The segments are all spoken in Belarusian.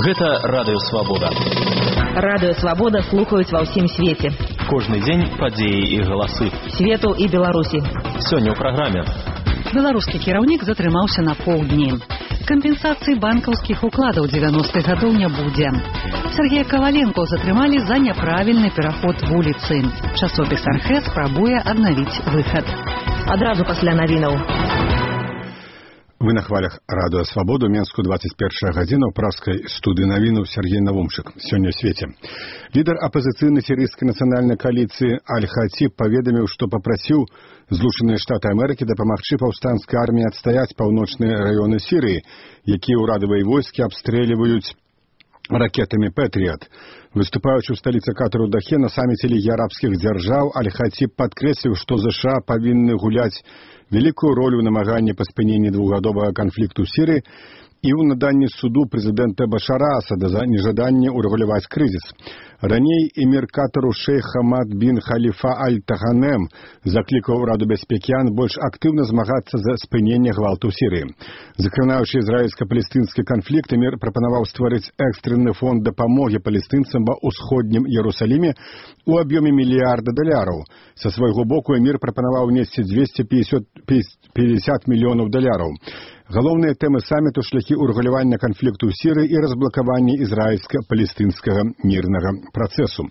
Гэта Радыё Свабода. Радыё Свабода слухаюць ва ўсім свеце. Кожны дзень падзеі і галасы. Свету і Беларусі. Сёння ў праграме. Беларускі кіраўнік затрымаўся на паўдні. Кампенсацыі банкаўскіх укладаў 90-х гадоў не будзе. Сергея Коваленко затрымалі за няправільны пераход вуліцы. Часопіс «Архэ» спрабуе аднавіць выхад. Адразу пасля навінаў. Вы на хвалях Радыё Свабоду, Менску, 21 гадзіна, ў пражскай студыі навінаў Сергей Навумчык. Сёння ў свеце. Лідар апазіцыйнай сірыйскай нацыянальнай кааліцыі Аль-Хатиб паведаміў, што папрасіў Злучаныя Штаты Амерыкі дапамагчы паўстанцкай арміі адстаяць паўночныя раёны Сірыі, якія ўрадавыя войскі абстрэльваюць ракетамі «Пэтріат». Выступаючы ў сталіцы Катару Дахе на саміце Лігі арабскіх дзяржаў, Аль-Хатиб падкрэсліў, што ЗША павінны гуляць вялікую ролю ў намаганні па спыненні двухгадовага канфлікту ў Сірыі і ў наданні суду прэзідэнта Башара Асада за нежаданне ўрэгуляваць крызіс. Раней эмір Катару шэйх Хамад бін Халіфа Аль-Таганем заклікаў Раду бяспекі ООН больш актыўна змагацца за спыненне гвалту ў Сірыі. Закранаючы ізраільска-палестынскі канфлікт, эмір прапанаваў стварыць экстрэнны фонд дапамогі палестынцам ва ўсходнім Іерусаліме у аб'ёме $1 мільярда. Са свайго боку эмір прапанаваў внесці $250 мільёнаў. Галоўныя тэмы саміту — шляхі ўрэгулявання канфлікту ў Сірыі і разблакаванне ізраільска-палестынскага мірнага працэсу.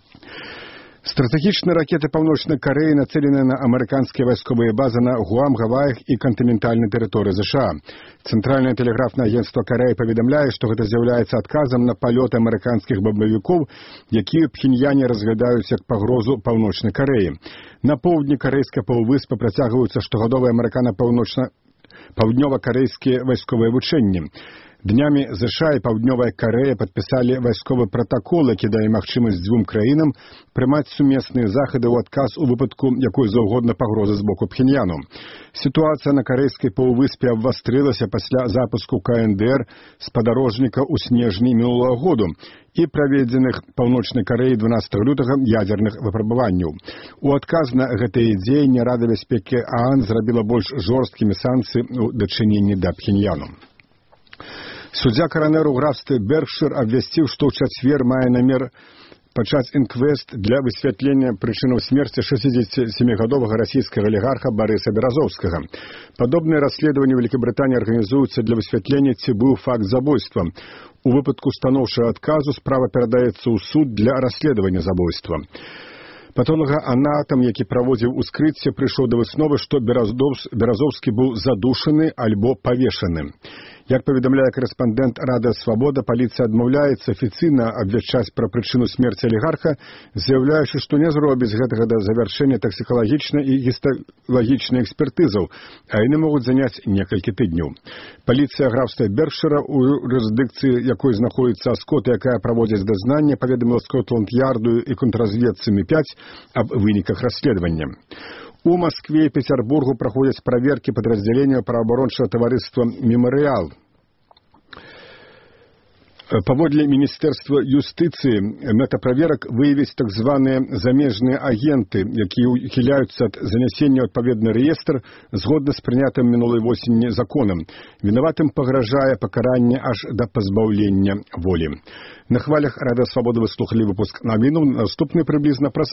Стратэгічныя ракеты Паўночнай Карэі нацэлены на амерыканскія вайсковыя базы на Гуам, Гаваях і кантынентальнай тэрыторыі ЗША. Цэнтральнае тэлеграфнае агенцтва Карэі паведамляе, што гэта з'яўляецца адказам на палёты амерыканскіх бамбавікоў, якія Пхеньяне разглядаюць як пагрозу Паўночнай Карэі. На поўдні карэйскай паўвыспы працягваюцца штогадовыя паўднёва-карэйскія вайсковыя вучэнні. Днямі ЗША і Паўднёвая Карэя падпісалі вайсковы пратакол, які дае магчымасць дзвюм краінам прымаць сумесныя захады ў адказ у выпадку якой заўгодна пагрозы з боку Пхеньяну. Сітуацыя на карэйскай паўвыспе абвастрылася пасля запуску КНДР спадарожніка ў снежні мінулага году і праведзеных Паўночнай Карэі 12 лютага ядзерных выпрабаванняў. У адказ на гэтыя дзеянні Рада бяспекі ООН зрабіла больш жорсткімі санкцыі ў дачыненні да Пхеньяну. Суддзя каранер у графстве Беркшир абвясціў, што ў чацвер мае намер пачаць інквест для высвятлення прычынаў смерці 67-гадовага расійскага алігарха Барыса Беразоўскага. Падобныя расследаванні ў Вялікабрытаніі арганізуюцца для высвятлення, ці быў факт забойства. У выпадку станоўчага адказу справа перадаецца ў суд для расследавання забойства. Патолага-анатам, які праводзіў ускрыцце, прыйшоў да высновы, што Беразоўскі быў задушаны альбо павешаны. Як паведамляе корэспандэнт Радыё Свабода, паліцыя адмаўляецца афіцыйна абвяшчаць пра прычыну смерці алігарха, заяўляючы, што не зробіць гэтага да завяршэння таксікалагічнай і гісталагічнай экспертызаў, а яны могуць заняць некалькі тыдняў. Паліцыя графства Беркшира, у юрысдыкцыі якой знаходзіцца Аскот, якая праводзіць дазнанне, паведаміла Скотланд-Ярду і контрразведцы МІ-5 аб выніках расследавання. У Москве и Петербургу проходят проверки подразделения правоабарончага таварыства «Мемориал». Паводле Міністэрства юстыцыі мэта праверак выявіць так званыя замежныя агенты, якія ухіляюцца ад занясення ў адпаведны рэестр згодна з прынятым мінулай восенні законам. Вінаватым пагражае пакаранне аж да пазбаўлення волі. На хвалях Радыё Свабода вы слухалі выпуск навінаў. Наступны прыблізна праз